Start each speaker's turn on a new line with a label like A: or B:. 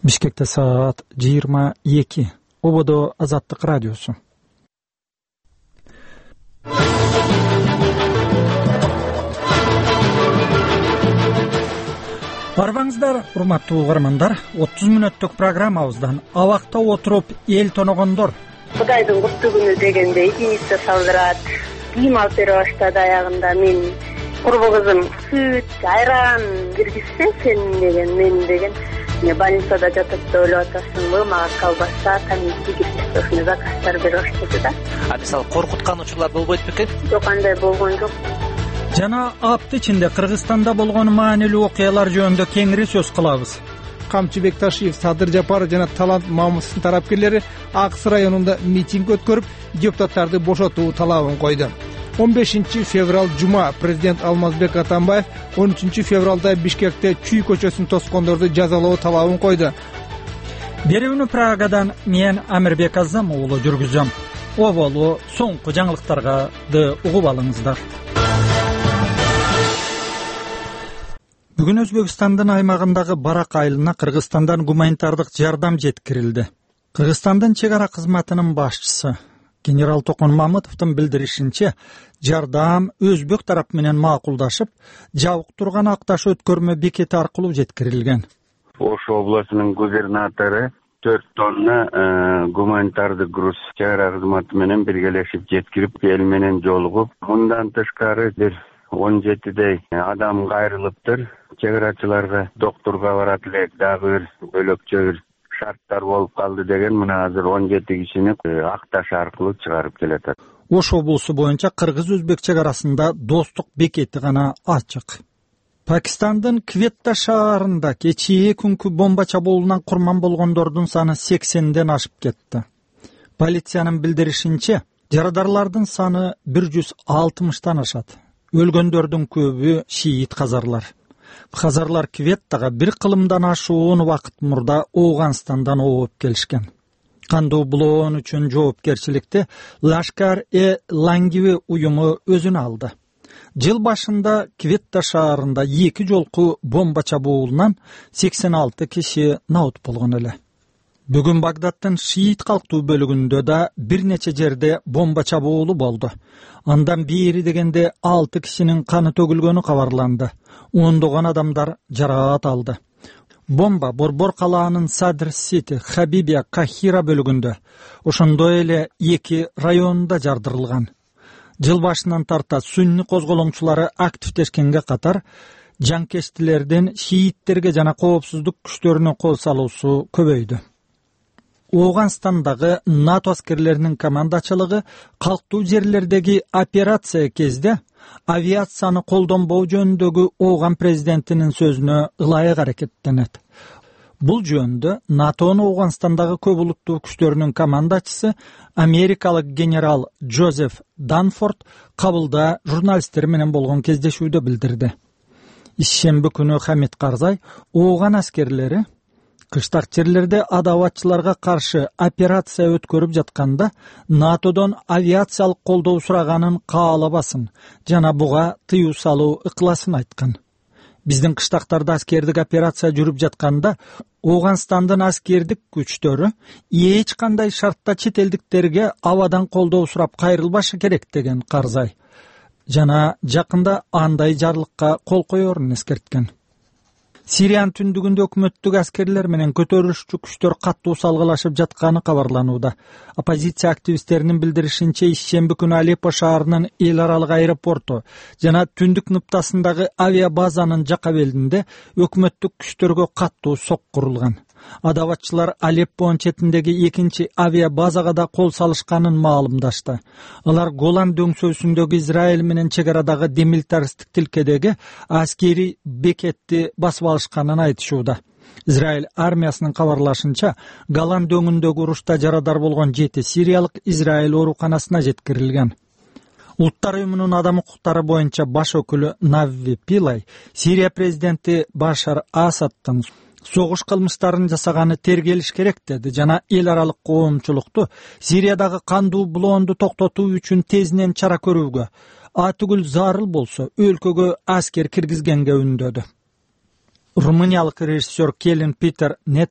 A: Бишкекте саат 22. Ободо Азаттык радиосу. Барбаңыздар, урматтуу угармандар, 30 мүнөттүк программабыздан абакта отуруп эл тоногондор.
B: Кудайдын куттуу күнү дегенде идиница салдырат. Кийим алып бере баштады аягында. Мен курбу кызым сүт, айран киргизсе сен деген, мен деген. Больницада жатып да ойлоп атасыңбы, мага колбаса, тамизди киргизсе ушуну заказдар бере баштады да.
C: Мисалы коркуткан учурлар болбойт бекен?
B: Жок, андай болгон жок.
A: Жана апты ичинде Кыргызстанда болгон маанилүү окуялар жөнүндө кеңири сөз кылабыз.
D: Камчы Бекташиев, Садыр Жапаров жана Талант Мамусовдун тарапкерлери Акс районунда митинг өткөрүп, депутаттарды бошотуу талабын койду. 15 февраль жума президент Алмазбек Атамбаев 13 февралда Бишкекте Чүй көчөсүн тоскондорду жазалоо талабын койду.
A: Берүүнү Прагадан мен Амирбек Азам уулу жүргүзөм. Оболу соңку жаңылыктарды угуп алыңыздар. Бүгүн Өзбекстандын аймагындагы Барак айылына Кыргызстандан гуманитардык жардам жеткирилди. Кыргызстандын чек ара кызматынын башчысы генерал Токон Мамытовдун билдиришинче, жардам өзбек тарап менен макулдашып, жабык турган Акташ өткөрмө бекети аркылуу жеткирилген.
E: Ош областынын губернатору 4 тонна гуманитардык груз чек ара кызматы менен биргелешип жеткирип, эл менен жолугуп, мындан тышкары 17дей адам кайрылыптыр. Чек арачыларга доктурга барат элек, дагы бир бөлөкчө бир шарттар болуп калды деген, мына азыр 17 кишини Акташ аркылуу чыгарып келатат.
A: Ош облусу боюнча кыргыз-өзбек чек арасында достук бекети гана ачык. Пакистандын Кветта шаарында кечээ күнкү бомба чабуулунан курман болгондордун саны 80ден ашып кетти. Полициянын билдиришинче, жарадарлардын саны 160тан ашат. Өлгөндөрдүн көбү шиит казарлар. Казарлар Кветтага бир кылымдан ашуун убакыт мурда Ооганстандан ооп келишкен. Кандуу булоон үчүн жоопкерчиликти Лашкар-e-Лангиви уюму өзүнө алды. Жыл башында Кветта шаарында 2 жолку бомба чабуулунан 86 киши наут болгон эле. Бүгүн Багдадтын шиит калктуу бөлүгүндө да бир нече жерде бомба чабуулу болду. Андан бери дегенде 6 кишинин каны төгүлгөнү кабарланды. Ондогон адамдар жараат алды. Бомба Борбор калаанын Садр-Сити, Хабибия, Кахира бөлүгүндө, ошондой эле 2 районунда жардырылган. Жыл башынан тарта сунни козголоңчулары активдешкенге катар, жаңкештилердин шииттерге жана коопсуздук күчтөрүнө кол салуусу көбөйдү. Ооганстандагы НАТО аскерлеринин командачылыгы калктуу жерлердеги операция кезде авиацияны колдонбоо жөнүндөгү Ооган президентинин сөзүнө ылайык аракеттенет. Бул жөнүндө НАТОнун Ооганстандагы көп улуттуу күчтөрүнүн командачысы америкалык генерал Джозеф Данфорд кабылда журналисттер менен болгон кездешүүдө билдирди. Ишемби күнү Хамид Карзай Ооган аскерлери кыштак жерлерде адабатчыларга каршы операция өткөрүп жатканда НАТОдон авиациялык колдоо сураганын каалабасын жана буга тыюу салуу ыкыласын айткан. Биздин кыштактарда аскердик операция жүрүп жатканда Ооганстандын аскердик күчтөрү эч кандай шартта чет элдиктерге абадан колдоо сурап кайрылбашы керек деген Карзай. Жана жакында андай жарлыкка кол коерун эскерткен. Сириянын түндүгүндө өкмөттүк аскерлер менен көтөрүлүшчү күчтөр каттуу салгылашып жатканы кабарланууда. Оппозиция активисттеринин билдиришинче, ишемби күнү Алеппо шаарынын эл аралык аэропорту жана түндүк ныптасындагы авиабазанын жака белинде өкмөттүк күчтөргө каттуу сок курулган. Адабатчылар Алеппонун четиндеги 2 авиабазага да кол салышканын маалымдашты. Алар Голан дөңсөөсүндөгү Израиль менен чек арадагы демилитаристик тилкедеги аскери бекетти басып алышканын айтышууда. Израиль армиясынын кабарлашынча, Голан дөңүндөгү урушта жарадар болгон 7 сириялык Израиль ооруканасына жеткирилген. Улуттар уюмунун адам укуктары боюнча баш өкүлү Навви Пилай Сирия президенти Башар Асадтын согуш кылмыштарын жасаганы тергелиш керек деди жана эл аралык коомчулукту Сириядагы кандуу булоонду токтотуу үчүн тезинен чара көрүүгө, атүгүл зарыл болсо өлкөгө аскер киргизгенге үндөдү. Румыниялык режиссер Келин Питер